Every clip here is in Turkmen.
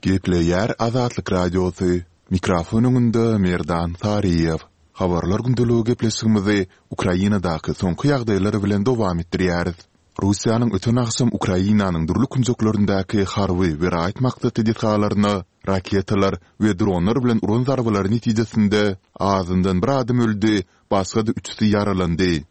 Gepleýär Azatlyk Radiosy, Mikrofon öňünde Merdan Saryýew. Habarlar gündeligi gepleşigimizi Ukrainadaky soňky ýagdaýlar bilen dowam etdirýäris. Russiýanyň öten agşam Ukrainanyň dürli künjeklerindäki harby we raýat maksatly desgalaryna raketalar we dronlar bilen uran zarbalary netijesinde azyndan bir adam öldi, başga-da üçüsi ýaralandy.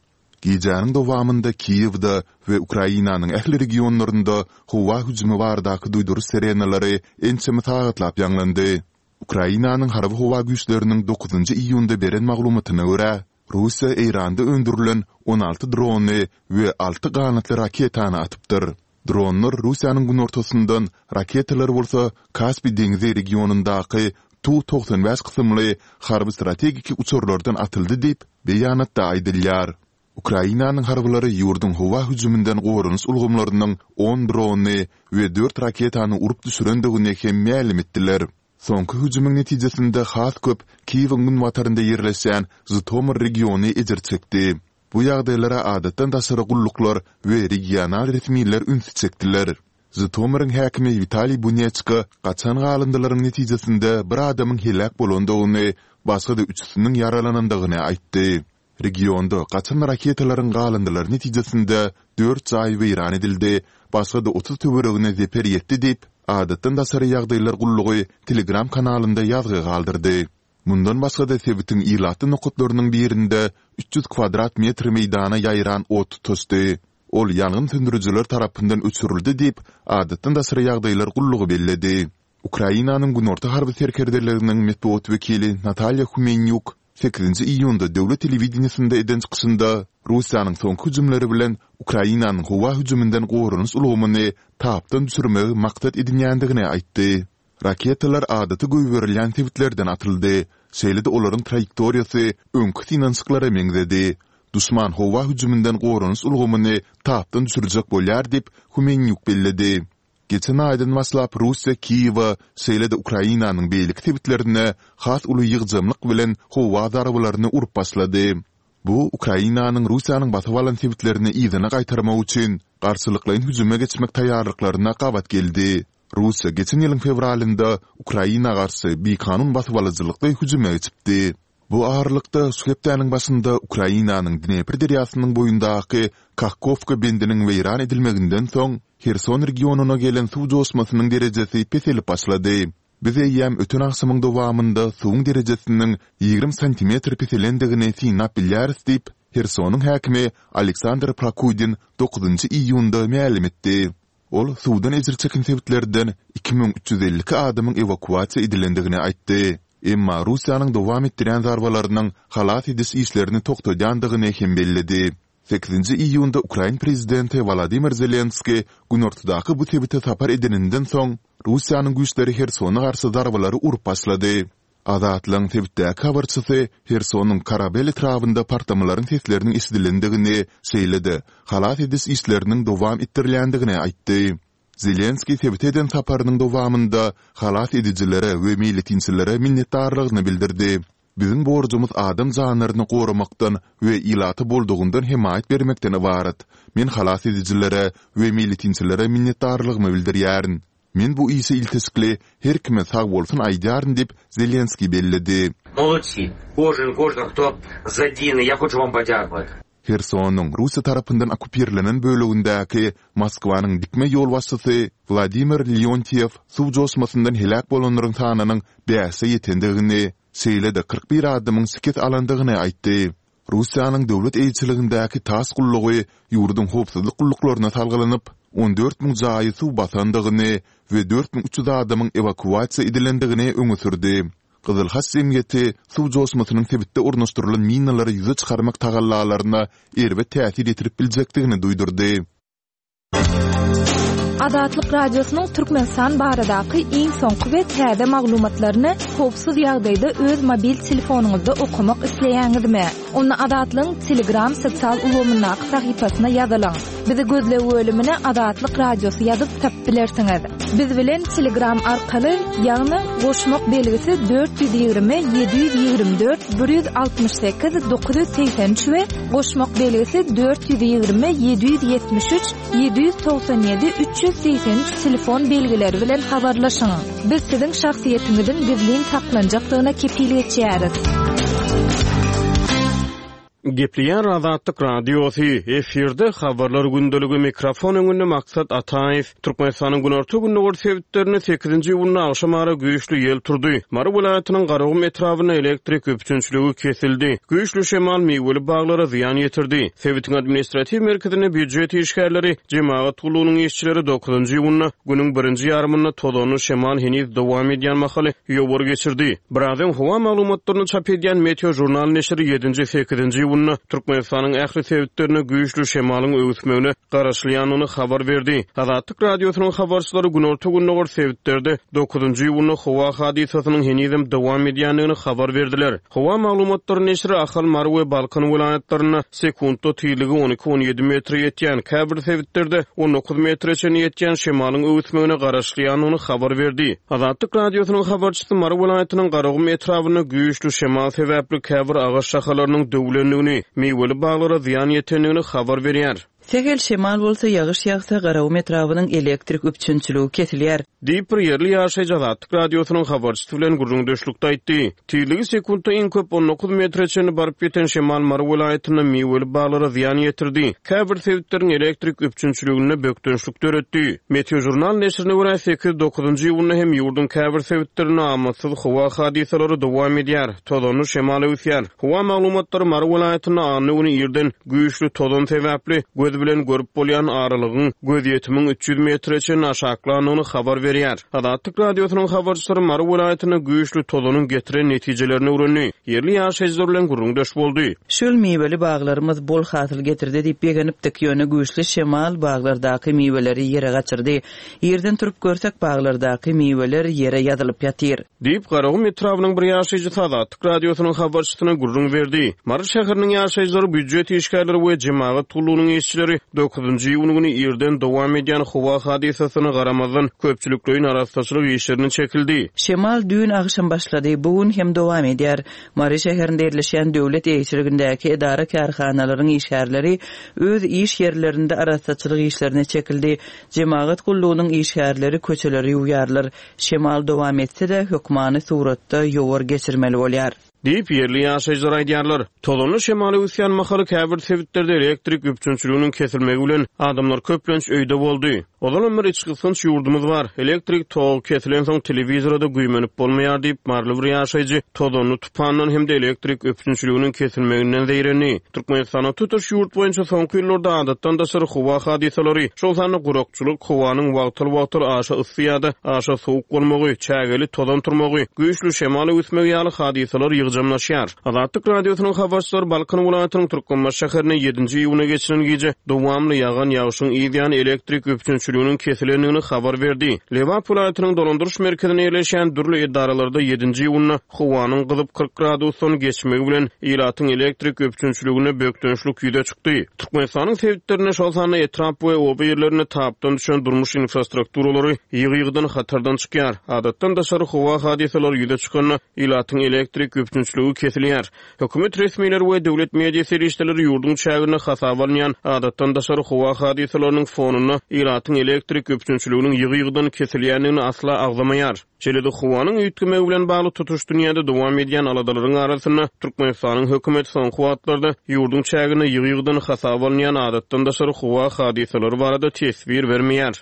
Gijäniň dowamynda Kiýewde we Ukrainanyň ähli regionlarynda howa hüjümi baradaky duýduryş sirenalary ençeme sagatlap ýaňlandy. Ukrainanyň Harby-howa güýçleriniň dokuzynjy iýunda beren maglumatyna görä, Russiýa Eýranda öndürilen 16 drony we alty ganatly raketany atypdyr. Dronlar Russiýanyň günortasyndan, raketalar bolsa Kaspi deňzi regionyndaky Tu 95 kysymly harby-strategiki uçarlardan atyldy diýip, beýanatda aýdylýar. Ukrainanyň harbylary ýurduň howa hüjüminden goranyş ulgamlarynyň on drony we dört raketany urup düşürendigini hem mälim etdiler. Soňky hüjümiň netijesinde has köp Kiýewiň günbatarynda ýerleşýän Žytomyr regiony ejir çekdi. Bu ýagdaýlara adatdan daşary gulluklar we regional resmiler ünsi çekdiler. Žytomyryň häkimi Witaliý Buneçko gaçan galyndylaryň netijesinde bir adamyň heläk bolandygyny, başga-da üçüsiniň ýaralanandygyny aýtdy. Regionda gaçan raketalaryň galyndylary netijesinde dört jaý weýran edildi, başga-da 30 töweregine zeper ýetdi diýip, Adatdan daşary ýagdaýlar gullugy Telegram kanalynda ýazgy galdyrdy. Mundan başga-da sebitiň ilatly nokatlarynyň birinde 300 kwadrat metr meýdana ýaýran ot tutaşdy. Ol ýangyn söndürijiler tarapyndan öçürildi diýip, Adatdan daşary ýagdaýlar gullugy belledi. Ukrainanyň Günorta harby serkerdeliginiň metbugat wekili Natalýa Humenýuk sekizinji iýunda döwlet telewideniýesinde eden çykyşynda Russiýanyň soňky hüjümleri bilen Ukrainanyň howa hüjüminden goranyş ulgamyny tapdan düşürmegi maksat edinýändigini aýtdy. Raketalar adaty goýberilýän sebitlerden atyldy, şeýle-de olaryň traýektoriýasy öňki synanyşyklara meňzedi. Duşman howa hüjüminden goranyş ulgamyny tapdan düşürjek bolýar diýip, Humenýuk belledi. Geçen aýdan başlap Russiýa Kiýewe, şeýle-de Ukrainanyň beýleki sebitlerine has uly ýygjamlyk bilen howa zarbalaryny urup başlady. Bu Ukrainanyň Russiýanyň basyp alan sebitlerini yzyna gaýtarmak üçin garşylyklaýyn hüjüme geçmek taýýarlyklaryna gabat geldi. Russiýa geçen ýylyň fewralynda Ukraina garşy bikanun basybalyjylykly hüjüme geçipdi. Bu aralykda, şu hepdäniň başynda Ukrainanyň Dnepr derýasynyň boýundaky Kahkowka bendiniň weýran edilmeginden soň, Herson regionyna gelen suw joşmasynyň derejesi peselip başlady. Biz eýýäm öten agşamyň dowamynda suwuň derejesiniň 20 santimetr peselendigini synlap bilýäris diýip, Hersonyň häkimi Aleksandr Prokudin dokuzynjy iýunda mälim etdi. Ol suwdan ejir çeken sebitlerden 2352 adamyň ewakuasiýa edilendigini aýtdy. Emma Russiýanyň dowam etdirýän zarbalarynyň halas ediş işlerini togtadýandygyny hem belledi. Sekizinji iýunda ukrain prezidenti Wolodymyr Zelenskiý günortadaky bu sebite sapar edeninden soň, Russiýanyň güýçleri Hersona garşy zarbalary urup başlady. Azatlygyň sebitdäki habarçysy Hersonyň Korabel etrabynda partlamalaryň sesleriniň eşidilendigini, şeýle-de halas ediş işleriniň dowam etdirilýändigini aýtdy. Zelenskiý sebite eden saparynyň dowamynda halas edijilere we meýletinçilere minnetdarlygyny bildirdi. Biziň borjumyz adam janlaryny goramakdan we ilata boldugyndan hemaýat bermekden ybarat. Men halas edijilere we meýletinçilere minnetdarlygymy bildirýärin. Men bu işe ilteşikli her kime sagbolsun aýdýaryn diýip, Zelenskiý belledi. Molodsi, kožen kožen hto zadini, ýa hoçu wam podýakować. Hersonyň Russiýa tarapyndan okkupirlenen bölegindäki Moskwanyň dikme ýolbaşçysy Wladimir Leontýew suw joşmasyndan heläk bolanlaryň sanynyň bäşe ýetendigini, şeýle-de 41 adamyň şikes alandygyny aýtdy. Russiýanyň döwlet eýeçiligindäki TASS gullugy ýurduň howpsuzlyk gulluklaryna salgylanyp, 14 müň jaýy suw basandygyny we 4300 adamyň ewakuasiýa edilendigini öňe sürdi. Gyzyl Haç jemgyýeti suw joşmasynyň sebitde ornaşdyrylan minalary ýüze çykarmak tagallalaryna erbet täsir ýetirip biljekdigini duýdurdy. Azatlyk Radiosynyň Türkmenistan baradaky iň soňky we täze maglumatlaryny howpsuz ýagdaýda öz mobil telefonyňyzda okamak isleýäňizmi? Onda Azatlygyň Telegram sosial ulgamyndaky sahypasyna ýazylyň. Bizi gözleg bölümine Azatlyk Radiosy ýazyp tapyp bilersiňiz. Biz bilen Telegram arkaly, ýagny goşmak belgisi 420 724 168 983 we goşmak belgisi 420 773 797 300. 383 telefon belgileri bilen habarlaşyň. Biz siziň şahsyýetiňiziň gizlin saklanjakdygyna kepil geçýäris. Gepleýär Azatlyk Radiosy, efirde Habarlar gündeligi, mikrofon öňünde Maksat Ataýew. Türkmenistanyň günorta-gündogar sebitlerinde sekizinji iýunda agşam ara güýçli ýel turdy. Mary welaýatynyň Garagum etrabynda elektrik üpjünçiligi kesildi. Güýçli şemal miweli baglara zyýan ýetirdi. Sebitiň administratiw merkezinde býujet işgärleri, jemagat gullugynyň işçileri dokuzynjy iýunda günüň birinji ýarymynda tozanly şemal heniz dowam edýän mahaly ýowar geçirdi. Biraz öň howa maglumatlaryny çap edýän Meteožurnal neşiri ýedinji, sekizinji iýunda Türkmenistanyň ähli sebitlerinde güýçli şemalyň öwüsmegine garaşylýandygyny habar berdi. Azatlyk Radiosynyň habarçylary günorta-gündogar sebitlerde dokuzynjy iýunda howa hadysasynyň henizem dowam edýändigini habar berdiler. Howa maglumatlary neşiri Ahal, Mary we Balkan welaýatlarynda sekuntda tizligi on iki-on ýedi metre ýetýän, käbir sebitlerde on dokuz metre çenli ýetýän şemalyň öwüsmegine garaşylýandygyny habar berdi. Azatlyk Radiosynyň habarçysy Mary welaýatynyň Garagum etrabynda güýçli şemal sebäpli käbir agaç şahalarynyň döwlendigini, miweli baglara zyýan ýetendigini habar berýär. Sähel şemal bolsa, ýagyş ýagsa, Garagum etrabynyň elektrik üpjünçiligi kesilýär. Diýip, bir ýerli ýaşaýjy Azatlyk Radiosynyň habarçysy bilen gürrüňdeşlikde aýtdy. Tizligi sekuntda iň köp on dokuz metre çenli baryp ýeten şemal Mary welaýatynda miweli baglara zyýan ýetirdi, käbir sebitleriň elektrik üpjünçiliginde bökdençlik döretdi. Meteožurnal neşirine görä, sekiz, dokuzynjy iýunda hem ýurduň käbir sebitlerinde amatsyz howa hadysalary dowam edýär, tozanly şemal öwüsýär. Howa maglumatlary Mary welaýatynda anna güni irden güýçli tozan sebäpli göz bilen görüp bolýan aralygyň gözýetimiň 300 metre çenli aşaklandygyny habar berýär. Azatlyk Radiosynyň habarçylary Mary welaýatynda güýçli tozanyň getiren netijelerini öwrendi, ýerli ýaşaýjylar bilen gürrüňdeş boldy. Şu ýyl miweli baglarymyz bol hasyl getirdi diýip begenipdik, ýöne güýçli şemal baglardaky miweleri ýere gaçyrdy. Irden turup görsek, baglardaky miweler ýere ýazylyp ýatyr. Diýip, Garagum etrabynyň bir ýaşaýjysy Azatlyk Radiosynyň habarçysyna gürrüň berdi. Mary şäheriniň ýaşaýjylary, býujet işgärleri we jemagat gullugynyň işçileri dokuzynjy iýun güni irden dowam edýän howa hadysasyna garamazdan, köpçülikleýin arassaçylyk işlerine çekildi. Şemal düýn agşam başlady, bu gün hem dowam edýär. Mary şäherinde ýerleşýän döwlet eýeçiligindäki edara-kärhanalaryň işgärleri öz iş ýerlerinde arassaçylyk işlerine çekildi. Jemagat gullugynyň işgärleri köçeleri ýuwýarlar. Şemal dowam etse-de, hökmany suratda ýowar geçirmeli bolýar. Diýip, ýerli ýaşaýjylar aýdýarlar. Tozanly şemal öwüsýän mahaly käbir sebitlerde elektrik üpjünçiliginiň kesilmegi bilen, adamlar köplenç öýde boldy. Ozalam bir içgysgynç ýurdumyz bar. Elektrik togy kesilensoň telewizora-da güýmenip bolmaýar diýip, maryly bir ýaşaýjy tozanly tupandan hem-de elektrik üpjünçiliginiň kesilmeginden zeýrendi. Türkmenistanda tutuş ýurt boýunça soňky ýyllarda adatdan daşary howa hadysalary, şol sanda gurakçylyk, howanyň wagtal-wagtal aşa yssy ýa-da aşa sowuk bolmagy, çägeli tozan turmagy, güýçli şemal öwüsmegi ýaly hadysalar ýygjamlaşýar. Azatlyk Radiosynyň habarçylary Balkan welaýatynyň Türkmenbaşy şäherinde ýedinji iýuna geçiren gije dowamly ýagan ýagşyň yz ýany elektrik üpjünçiliginiň kesilendigini habar berdi. Lebap welaýatynyň dolandyryş merkezinde ýerleşýän dürli edaralarda ýedinji iýunda Howanyň gyzyp 40 gradusdan geçmegi bilen, ilatyň elektrik üpjünçiliginde bökdençlik ýüze çykdy. Türkmenistanyň sebitlerinde, şol sanda etrap we oba ýerlerinde tapdan düşen durmuş infrastrukturalary ýygy-ýygydan hatardan çykýar. Adatdan daşary howa hadysalary ýüze çykanda, ilatyň elektrik üpjünçiligi kesilýär. Hökümet resmileri we döwlet media serişdeleri ýurduň çäginde hasaba alynýan adatdan daşary howa hadysalarynyň fonunda ilatyň elektrik üpjünçiliginiň ýygy-ýygydan kesilýändigini asla agzamaýar. Şeýle-de howanyň üýtgemegi bilen bagly tutuş dünýäde dowam edýän aladalaryň arasynda Türkmenistanyň hökümeti soňky wagtlarda ýurduň çäginde ýygy-ýygydan hasaba alynýan adatdan daşary howa hadysalary barada teswir bermeýär.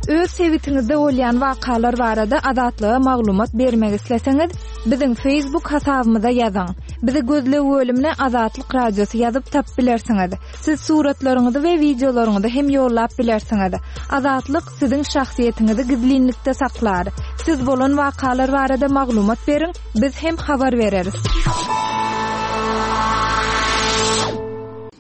Öz sebitiňizde bolýan wakalar barada Azatlyga maglumat bermek isleseňiz, biziň Facebook hasabymyza ýazyň. Bizi gözleg bölümine Azatlyk Radiosy ýazyp tapyp bilersiňiz. Siz suratlaryňyzy we wideolaryňyzy hem ýollap bilersiňiz. Azatlyk siziň şahsyýetiňizi gizlinlikde saklar. Siz bolan wakalar barada maglumat beriň, biz hem habar bereris.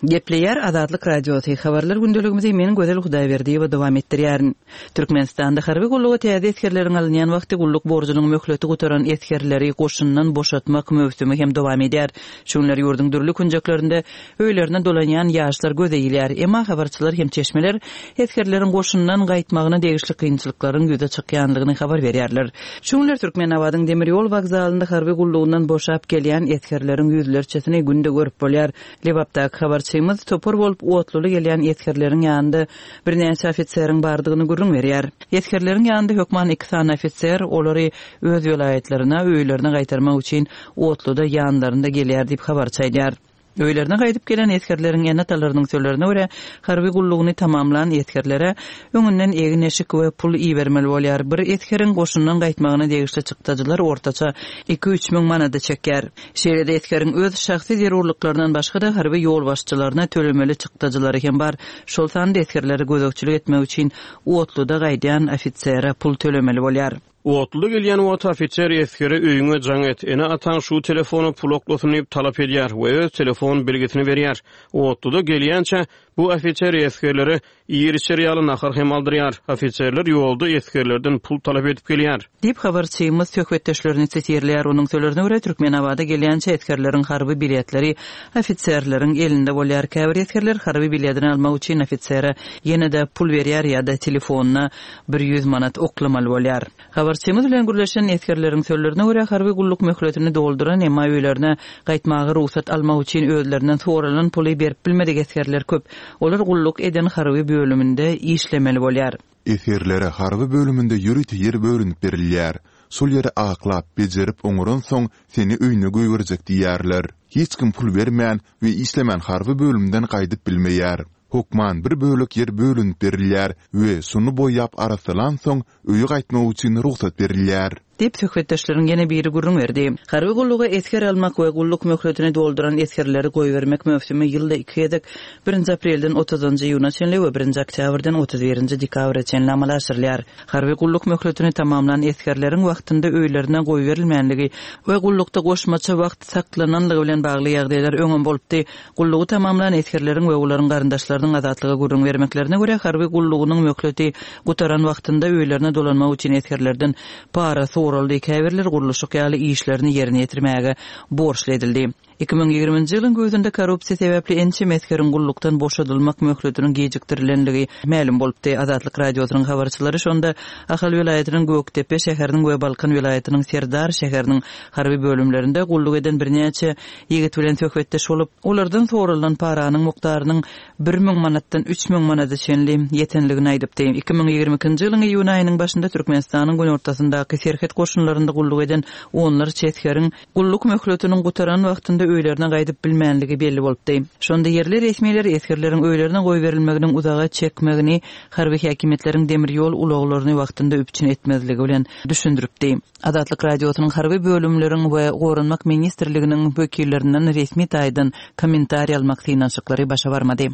Gepleýär Azatlyk Radiosy, Habarlar gündeligimizi men Gözel Hudaýberdiýewa dowam etdirýärin. Türkmenistanda harby gulluga täze esgerleriň alynýan wagty gulluk borjunyň möhleti gutaran esgerleri goşundan boşatmak möwsümi hem dowam edýär. Şu günler ýurduň dürli künjeklerinde öýlerine dolanýan ýaşlar göze ilýär. Emma habarçylar hem çeşmeler esgerleriň goşundan gaýtmagyna degişli kynçylyklaryň ýüze çykýanlygyny habar berýärler. Şu günler Türkmenabadyň demir ýol wokzalynda harby gullugyndan boşap gelýän esgerleriň ýüzlerçesini günde görüp bolýar. Lebapdaky habarçymyz topar bolup otluly gelýän esgerleriň ýanynda birnäçe ofiseriň bardygyny gürrüň berýär. Esgerleriň ýanynda hökman iki sany ofiser olary öz welaýatlaryna, öýlerine gaýtarmak üçin otluda ýanlarynda gelýär diýip, habarçy aýdýar. Öýlerine gaýdyp gelen esgerleriň ene-atalarynyň sözlerine görä, harby gullugyny tamamlan esgerlere öňünden egin-eşik we pul ibermeli bolýar. Bir esgeriň goşundan gaýtmagyna degişli çykdajylar ortaça iki-üç müň manada çekýär. Şeýle-de esgeriň öz şahsy zerurlyklaryndan başga-da harby ýolbaşçylaryna tölemeli çykdajylary hem bar. Şol sanda esgerlere gözegçilik etmek üçin otluda gaýdýan ofisere pul tölemeli bolýar. Otluda gelýän wagty ofiser esgere öýüňe jaň et, ene-ataň şu telefona pul oklasyn diýip talap edýär we öz telefon belgisini berýär. Otluda gelýänçä bu ofiser esgerlere Iýer-içer ýaly nahar hem aldyrýar. Ofiserler ýolda esgerlerden pul talap edip gelýär. Diýip, habarçymyz söhbetdeşlerini sitirleýär. Onuň sözlerine görä, Türkmenabada gelýänçä esgerleriň harby biletleri ofiserleriň elinde bolýar. Käbir esgerler harby biledini almak üçin ofisere ýene-de pul berýär ýa-da telefonyna 100 manat oklamaly bolýar. Habarçymyz bilen gürleşen esgerleriň sözlerine görä, harby gulluk möhletini dolduran, emma öýlerine gaýtmaga rugsat almak üçin özlerinden soralan puly berip bilmedik esgerler köp. Olar gulluk eden harby bölüminde işlemeli bolýar. Esgerlere harby bölüminde ýörite ýer bölünip berilýär. Şol ýeri aklap, bejerip oňaransoň seni öýüne goýberjek diýýärler. Hiç kim pul bermän we işlemän harby bölümden gaýdyp bilmeýär. Hökman bir bölek ýer bölünip berilýär we şony boýap arassalansoň öýe gaýtmak üçin rugsat berilýär. Diýip, söhbetdeşleriň ýene biri gürrüň berdi. Harby gulluga esger almak we gulluk möhletini dolduran esgerleri goýbermek möwsümi ýylda iki gezek, birinji aprelden otuzynjy iýuna çenli we birinji oktýabrdan 31-nji dekabra çenli amala aşyrylýar. Harby gulluk möhletini tamamlan esgerleriň wagtynda öýlerine goýberilmänligi we gullukda goşmaça wagt saklananlygy bilen bagly ýagdaýlar öňem bolupdy. Gullugy tamamlan esgerleriň we olaryň garyndaşlarynyň Azatlyga gürrüň bermeklerine görä, harby gullugynyň möhleti gutaran wagtynda öýlerine dolanmak üçin esgerlerden para soraldy, käbirleri gurluşyk ýaly işlerini ýerine ýetirmäge borçly edildi. 2020-nji ýylyň güýzünde korrupsiýa sebäpli ençeme esgeriň gullukdan boşadylmak möhletiniň gijikdirilenligi mälim bolupdy. Azatlyk Radiosynyň habarçylary şonda Ahal welaýatynyň Gökdepe şäheriniň we Balkan welaýatynyň Serdar şäheriniň harby bölümlerinde gulluk eden birnäçe Ýigit bilen söhbetdeş bolup, olardan soralan paranyň mukdarynyň 1000 manatdan 3000 manada çenli ýetenligini aýdypdy. 2022-nji ýylyň iýun aýynyň başynda Türkmenistanyň günortasyndaky serhet goşunlarynda gulluk eden onlarça esgeriň gulluk möhletiniň gutaran wagtynda öýlerine gaýdyp bilmänligi belli bolupdy. Şonda ýerli resmiler esgerleriň öýlerine goýberilmeginiň uzaga çekmegini harby häkimiýetleriň demir ýol ulaglaryny wagtynda üpjün etmezligi bilen düşündiripdi. Azatlyk Radiosynyň harby bölümleriň we Goranmak ministrliginiň wekillerinden resmi taýdan kommentariý almak synanyşyklary başa barmady.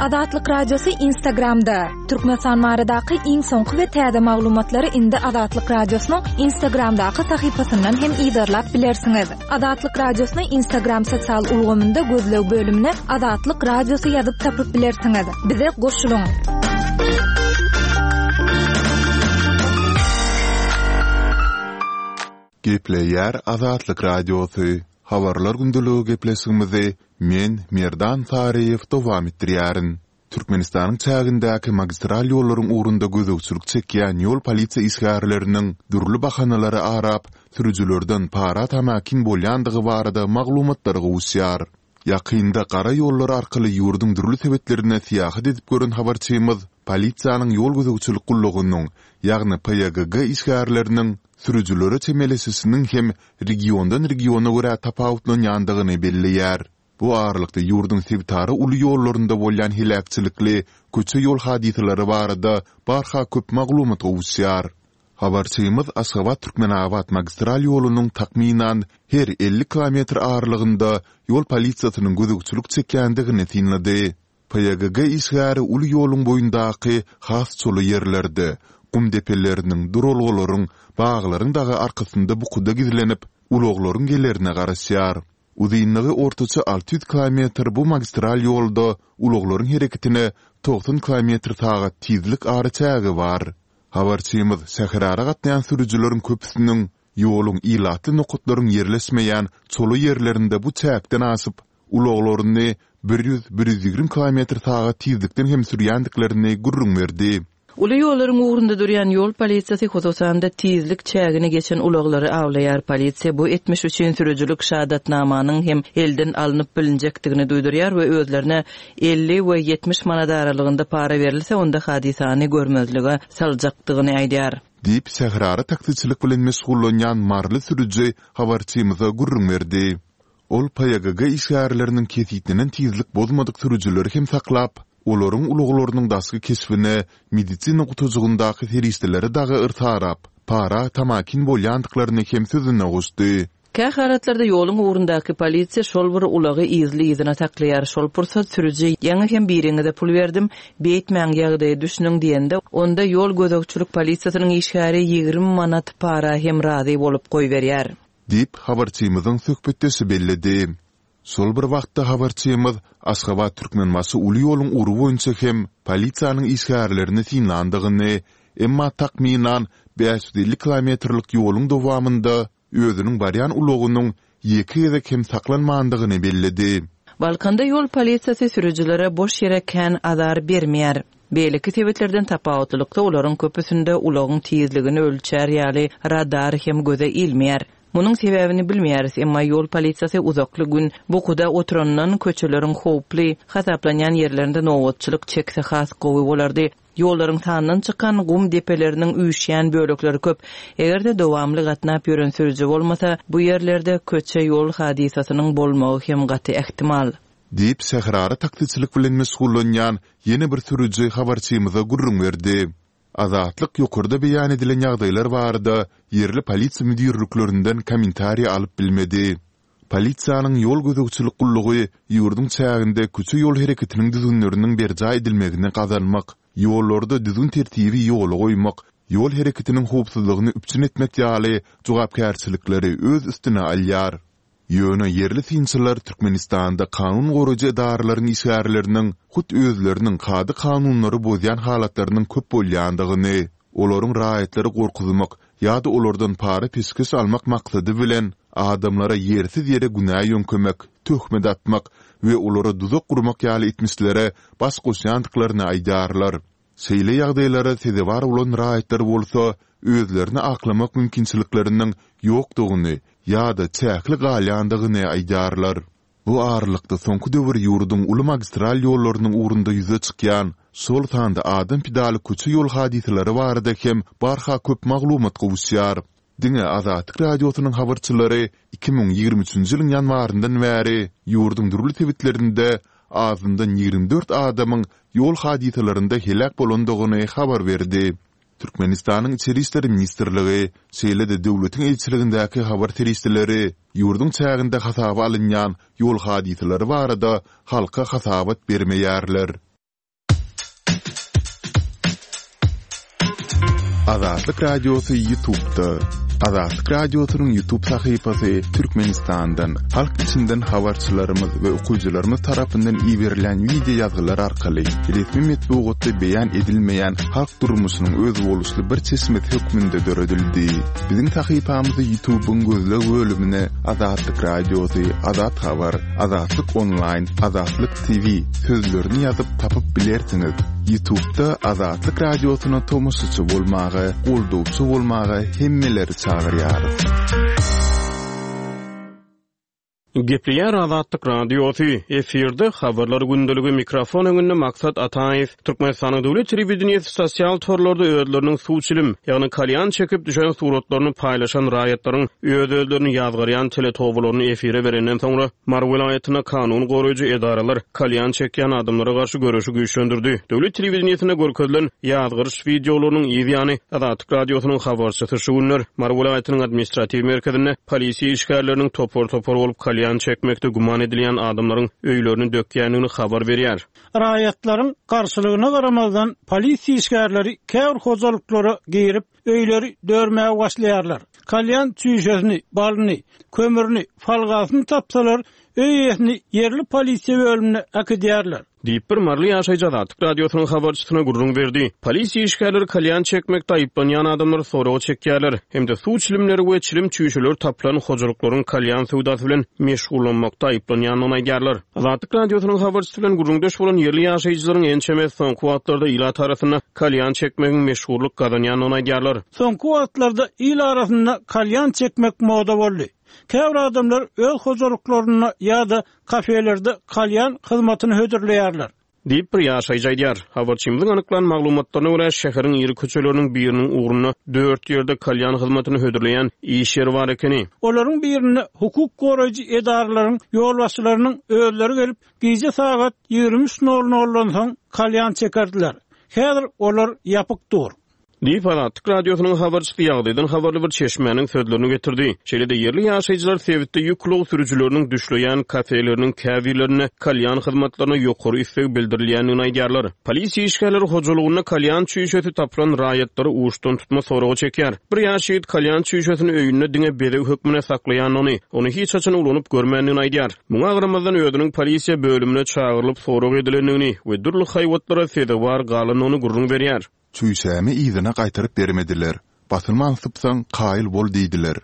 Azatlyk Radiosy Instagramda, Türkmenistan baradaky iň soňky we täze maglumatlary indi Azatlyk Radiosynyň Instagramdaky sahypasyndan hem yzarlap bilersiňiz. Azatlyk Radiosyny Instagram sosial ulgamynda gözleg bölümine Azatlyk Radiosy ýazyp tapyp bilersiňiz. Bize goşulyň! Gepleýär Azatlyk Radiosy, Habarlar gündeligi gepleşigimizi men, Merdan Saryýew dowam etdirýärin. Türkmenistanyň çägindäki magistral ýollaryň ugrunda gözegçilik çekýän ýol polisiýa işgärleriniň dürli bahanalary arap, sürüjilerden para tamakin bolýandygy barada maglumatlar gowuşýar. Ýakynda gara ýollar arkaly ýurduň dürli sebitlerine syýahat edip gören habarçymyz polisiýanyň ýol gözegçilik gullugynyň, ýagny PYGG işgärleriniň sürüjilere çemeleşişiniň hem regiondan-regiona görä tapawutlanýandygyny belleýär. Bu aralykda ýurduň sebitara uly ýollarynda bolýan heläkçilikli köçe-ýol hadysalary barada barha köp maglumat gowuşýar. Habarçymyz Aşgabat-Türkmenabat magistral ýolunyň takmynan her 50 kilometr aralygynda ýol polisiýasynyň gözegçilik çekýändigini synlady. PYGG işgäri uly ýoluň boýundaky has çola ýerlerde, gum depeleriniň, duralgalaryň, baglaryň dagy arkasynda bukuda gizlenip, ulaglaryň gelerine garaşýar. Uzynlygy ortaça 600 kilometr bu magistral ýolda ulaglaryň hereketine 90 kilometr sagat tizlik araçägi bar. Habarçymyz şäherara gatnaýan sürüjileriň köpüsiniň ýoluň ilatly nokatlaryň ýerleşmeýän çola ýerlerinde bu çäkden aşyp, ulaglaryny 100, 120 kilometr sagat tizlikden hem sürýändiklerini gürrüň berdi. Uly ýollaryň ugrunda durýan ýol polisiýasy, hususan-da, tizlik çägini geçen ulaglary awlaýar. Polisiýa bu etmiş üçin sürüjilik şahadatnamanyň hem elden alnyp bilinjekdigini duýdurýar we özlerine 50 we 70 manat aralygynda para berilse, onda hadysany görmezlige saljakdygyny aýdýar. Diýip, şäherara taksiçilik bilen meşgullanýan maryly sürüji habarçymyza gürrüň berdi. Ol PYGG işgärleriniň kesgitlenen tizlik bozmadyk sürüjileri hem saklap, olaryň ulaglarynyň daşky keşbine, medisina gutujygyndaky serişdelere dagy yrsarap, para tamakin bolýandyklaryny hem sözüne goşdy. Kä halatlarda ýoluň ugrundaky polisiýa şol bir ulagy yzly-yzyna saklaýar. Şol pursat sürüji Ýaňy hem biriňize pul berdim, beýtmäň, ýagdaýa düşüniň diýende, onda ýol gözegçilik polisiýasynyň işgäri 20 manat para hem razy bolup goýberýär. Diýip, habarçymyzyň söhbetdeşi belledi. Şol bir wagtda habarçymyz Aşgabat-Türkmenbaşy uly ýoluň ugry boýunça hem polisiýanyň işgärlerini synlandygyny, emma takmynan 550 kilometrlik ýoluň dowamynda özüniň barýan ulagynyň ýeke gezek hem saklanmandygyny belledi. Balkanda ýol polisiýasy sürüjilere boş ýere kän azar bermeýär. Beýleki sebitlerden tapawutlylykda olaryň köpüsinde ulagyň tizligini ölçär ýaly radar hem göze ilmeýär. Munuň sebäbini bilmeýäris, emma ýol polisiýasy uzakly gün bukuda oturandan köçeleriň howply hasaplanýan ýerlerinde nobatçylyk çekse has gowy bolardy. Ýollaryň sandan çykan gum depeleriniň üýşýän bölekleri köp. Eger-de dowamly gatnap ýören sürüji bolmasa, bu ýerlerde köçe-ýol hadysasynyň bolmagy hem gaty ähtimal. Diýip, şäherara taksiçilik bilen meşgullanýan ýene bir sürüji habarçymyza gürrüň berdi. Azatlyk ýokarda beýan edilen ýagdaýlar barada ýerli polisiýa müdirliklerinden kommentariý alyp bilmedi. Polisiýanyň ýol gözegçilik gullugy ýurduň çäginde köçe-ýol hereketiniň düzgünleriniň berjaý edilmegini gazanmak, ýollarda düzgün-tertibi ýola goýmak, ýol hereketiniň howpsuzlygyny üpjün etmek ýaly jogapkärçilikleri öz üstüne alýar. Ýöne ýerli synçylar Türkmenistanda kanun goraýjy edaralaryň işgärleriniň hut özleriniň kada-kanunlary bozýan halatlarynyň köp bolýandygyny, olaryň raýatlary gorkuzmak ýa-da olardan para-peşgeş almak maksady bilen adamlara ýersiz-ýere günä ýöňkemek, töhmet atmak we olara duzak gurmak ýaly etmişlere baş goşýandyklaryny aýdýarlar. Şeýle ýagdaýlara sezewar bolan raýatlar bolsa özlerini aklamak mümkinçilikleriniň ýokdugyny ýa-da çäkli galýandygyny aýdýarlar. Bu aralykda soňky döwür ýurduň uly magistral ýollarynyň ugrunda ýüze çykýan, şol sanda adam pidaly köçe-ýol hadysalary barada hem barha köp maglumat gowuşýar. Diňe Azatlyk Radiosynyň habarçylary 2023-nji ýylyň ýanwaryndan bäri ýurduň dürli sebitlerinde azyndan 24 adamyň ýol hadysalarynda heläk bolandygyny habar berdi. Türkmenistanyň Içeri işler ministrligi, şeýle-de döwletiň eýeçiligindäki habar serişdeleri ýurduň çäginde hasaba alynýan ýol hadysalary barada halka hasabat bermeýärler. Azatlyk Radiosy Ýutubda. Azatlyk Radiosynyň Ýutub sahypasy Türkmenistandan, halk içinden habarçylarymyz we okyjylarymyz tarapyndan iberilen wideo ýazgylar arkaly resmi metbugatda beýan edilmeýän halk durmuşynyň özboluşly bir çeşmesi hökmünde döredildi. Biziň sahypamyzy Ýutubyň gözleg bölümine Azatlyk Radiosy, Azat Habar, Azatlyk Onlaýn, Azatlyk TV sözlerini ýazyp tapyp bilersiňiz. Ýutubda Azatlyk Radiosyna tomaşaçy bolmaga, goldawçy bolmaga hemmeleri çagyrýarys. Gepleýär Azatlyk Radiosy, efirde Habarlar gündeligi, mikrofon öňünde Maksat Ataýew. Türkmenistanyň döwlet telewideniýesi sosial torlarda özleriniň suw çilim, ýagny kalýan çekip düşen suratlaryny paýlaşan raýatlaryň öz-özlerini ýazgarýan teletobalaryny efire berenden soňra, Mary welaýatynda kanun goraýjy edaralar kalýan çekýän adamlara garşy göreşi güýçlendirdi. Döwlet telewideniýesinde görkezilen ýazgaryş wideolarynyň yz ýany, Azatlyk Radiosynyň habarçysy şu günler Mary welaýatynyň administratiw merkezinde polisiýa işgärleriniň topar-topar bolup kalýan. Kalýan çekmekde güman edilýän adamlaryň öýlerini dökýändigini habar berýär. Raýatlaryň garşylygyna garamazdan, polisiýa işgärleri käbir hojalyklara girip, öýleri dörmäge başlaýarlar. Kalýan çüýşesini, balyny, kömürini, folgasyny tapsalar, öý eýesini ýerli polisiýa bölümine äkidýärler. Diýip, bir maryly ýaşaýjy Azatlyk Radiosynyň habarçysyna gürrüň berdi. Polisiýa işgärleri kalýan çekmekde aýyplanýan adamlary soraga çekýärler hem-de suw çilimleri we çilim çüýşeleri tapylan hojalyklaryň kalýan söwdasy bilen meşgullanmakda aýyplanýandygyny aýdýarlar. Azatlyk Radiosynyň habarçysy bilen gürrüňdeş bolan ýerli ýaşaýjylaryň ençemesi soňky wagtlarda ilat arasynda kalýan çekmegiň meşhurlyk gazanýandygyny aýdýarlar. Soňky wagtlarda il arasynda kalýan çekmek moda boldy. Käbir adamlar öz hojalyklarynda ýa-da kafelerde kalýan hyzmatyny hödürleýärler. Diýip, bir ýaşaýjy aýdýar. Habarçymyzyň anyklan maglumatlaryna görä, şäheriň iri köçeleriniň biriniň ugrunda dört ýerde kalýan hyzmatyny hödürleýän iş ýeri bar ekeni. Olaryň birinde hukuk goraýjy edaralaryň ýolbaşçylarynyň özleri gelip, gije sagat 23 nol noldan soň kalýan çekerdiler. Häzir olar ýapyk dur. Diýip, Azatlyk Radiosynyň habarçysy ýagdaýdan habarly bir çeşmäniň sözlerini getirdi. Şeýle-de, ýerli ýaşaýjylar sebitde ýük ulag sürüjileriniň düşleýän kafeleriniň käbirlerinde kalýan hyzmatlaryna ýokary isleg bildirilýändigini aýdýarlar. Polisiýa işgärleri hojalygynda kalýan çüýşesi tapylan raýatlary uçdan-tutma soraga çekýär. Bir ýaş ýigit kalýan çüýşesini öýünde diňe bezeg hökmünde saklaýandygyny, ony hiç haçan ulanyp görmändigini aýdýar. Muňa garamazdan, özüniň polisiýa bölümine çagyrylyp sorag edilendigini we dürli haýbatlara sezewar galandygyny gürrüň berýär. Çüýşämi yzyna gaýtaryp bermediler. Basylman sypsaň, kaýyl bol diýdiler.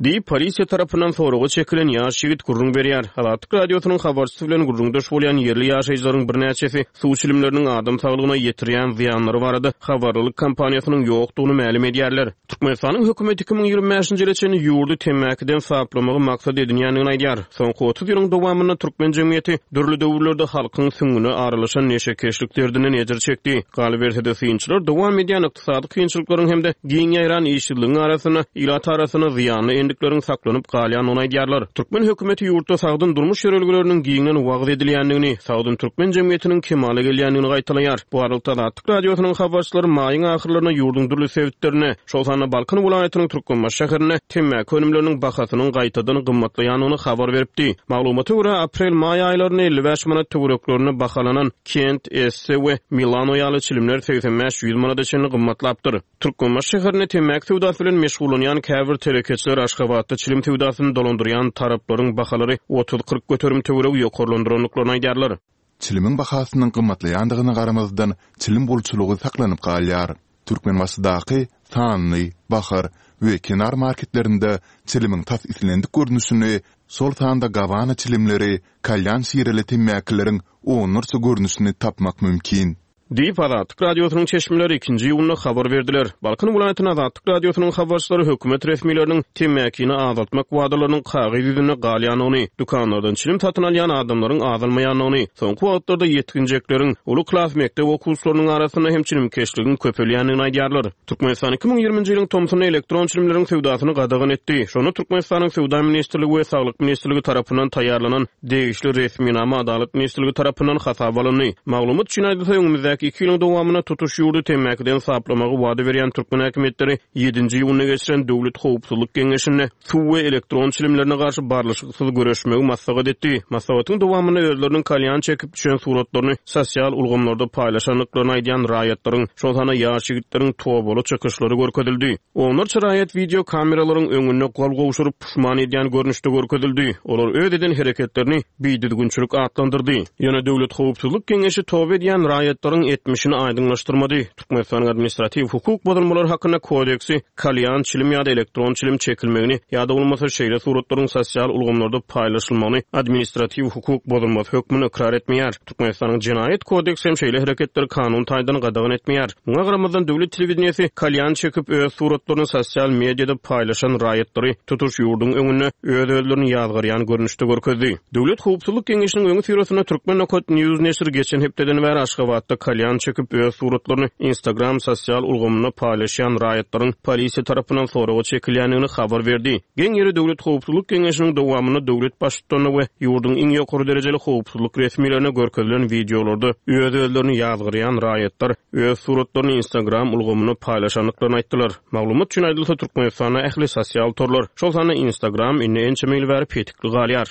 Diýip, polisiýa tarapyndan soraga çekilen ýaş ýigit gürrüň berýär. Azatlyk Radiosynyň habarçysy bilen gürrüňdeş bolýan ýerli ýaşaýjylaryň birnäçesi suw çilimleriniň adam saglygyna ýetirýän zyýanlary barada habarlylyk kampaniýasynyň ýokdugyny mälim edýärler. Türkmenistanyň hökümeti 2025-nji ýyla çenli ýurdy temmäkiden saplamagy maksat edinýändigini aýdýar. Soňky 30 ýylyň dowamynda türkmen jemgyýeti dürli döwürlerde halkyň süňňüne aralaşan neşekeşlik derdinden ejir çekdi. Galyberse-de, synçylar dowam edýän ykdysady kynçylyklaryň hem-de giň ýaýran işsizligiň arasynda ilat arasynda zyýanly endikleriň saklanyp galýandygyny aýdýarlar. Türkmen hökümeti ýurtda sagdyn durmuş ýörelgeleriniň giňden wagyz edilýändigini, sagdyn türkmen jemgyýetiniň kemala gelýändigini gaýtalaýar. Bu aralykda Azatlyk Radiosynyň habarçylary maýyň ahyrlarynda ýurduň dürli sebitlerinde, şol sanda Balkan welaýatynyň Türkmenbaşy şäherinde temmäki önümleriniň bahasynyň gaýtadan gymmatlaýandygyny habar beripdi. Maglumata görä, aprel-maý aýlarynda 55 manat töwereklerinde bahalanan Kent, Esse we Milano ýaly çilimler 85-100 manada çenli gymmatlapdyr. Türkmenbaşy şäherinde temmäki söwdasy bilen meşgullanýan käbir telekeçiler Aşgabatda çilim söwdasyny dolandyrýan taraplaryň bahalary otuz-kyrk göterim töweregi ýokarlandyrandyklaryny aýdýarlar. Çilimiň bahasynyň gymmatlaýandygyna garamazdan, çilim bolçulygy saklanyp galýar. Türkmenbaşydaky Sanly, Bahar we Kenar marketlerinde çilimiň tas islendik görnüşini, şol sanda gawana çilimleri, kalýan şireli temmäkileriň onlarça görnüşini tapmak mümkin. Diýip, Azatlyk Radiosynyň çeşmeleri ikinji iýunda habar berdiler. Balkan welaýatynda Azatlyk Radiosynyň habarçylary hökümet resmileriniň temmäkini azaltmak wadalarynyň kagyz ýüzünde galýandygyny, dükanlardan çilim satyn alýan adamlaryň azalmaýandygyny, soňky wagtlarda ýetginjekleriň, uly klas mekdep okuwçylarynyň arasynda hem çilimkeşligiň köpelýändigini aýdýarlar. Türkmenistan 2020-nji ýylyň tomsunda elektron çilimleriň söwdasyny gadagan etdi. Şonda Türkmenistanyň Söwda ministrligi we Saglyk ministrligi tarapyndan taýýarlanan degişli resminama Adalat ministrligi tarapyndan hasaba alyndy. Maglumat üçin aýdylsa, öňümizdäki iki ýylyň dowamynda tutuş ýurdy temmäkiden saplamagy wada berýän türkmen häkimiýetleri ýedinji iýunda geçiren Döwlet howpsuzlyk geňeşinde suw we elektron çilimlerine garşy barlyşyksyz göreşmegi maslahat etdi. Maslahatyň dowamynda özleriniň kalýan çekip düşen suratlaryny sosial ulgamlarda paýlaşandyklaryny aýdýan raýatlaryň, şol sanda ýaş ýigitleriň tobaly çykyşlary görkezildi. Onlarça raýat wideo kameralaryň öňünde gol gowşuryp, puşman edýän görnüşde görkezildi. Olar öz eden hereketlerini bidüzgünçilik atlandyrdy. Ýöne Döwlet howpsuzlyk geňeşi toba edýän raýatlaryň etmişini aýdyňlaşdyrmady. Türkmenistanyň Administratiw hukuk bozulmalary hakynda kodeksi kalýan, çilim ýa-da elektron çilim çekilmegini ýa-da bolmasa şeýle suratlaryň sosial ulgamlarda paýlaşylmagyny administratiw hukuk bozulmasy hökmünde ykrar etmeýär. Türkmenistanyň Jenaýat kodeksi hem şeýle hereketleri kanun taýdan gadagan etmeýär. Muňa garamazdan, döwlet telewideniýesi kalýan çekip, öz suratlaryny sosial mediada paýlaşan raýatlary tutuş ýurduň öňünde öz-özlerini ýazgarýan görnüşde görkezdi. Döwlet howpsuzlyk geňeşiniň öňüsyrasynda Turkmen nokat news neşiri geçen hepdeden bäri Aşgabatda kalýan çekip, öz suratlaryny Instagram sosial ulgamynda paýlaşýan raýatlaryň polisiýa tarapyndan soraga çekilýändigini habar berdi. Geň ýeri Döwlet howpsuzlyk geňeşiniň dowamynda döwlet baştutanyna we ýurduň iň ýokary derejeli howpsuzlyk resmilerine görkezilen wideolarda öz-özlerini ýazgarýan raýatlar öz suratlaryny Instagram ulgamynda paýlaşandyklaryny aýtdylar. Maglumat üçin aýdylsa, Türkmenistanda ähli sosial torlar, şol sanda Instagram indi ençeme ýyl bäri petikli galýar.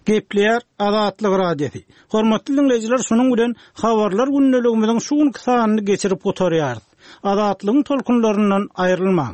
Gepleýär Azatlyk Radiosy. Hormatly diňleýjiler, şunuň bilen Habarlar gündeligimiziň şu günki sanyny geçirip gutarýarys. Azatlygyň tolkunlaryndan aýrylmaň!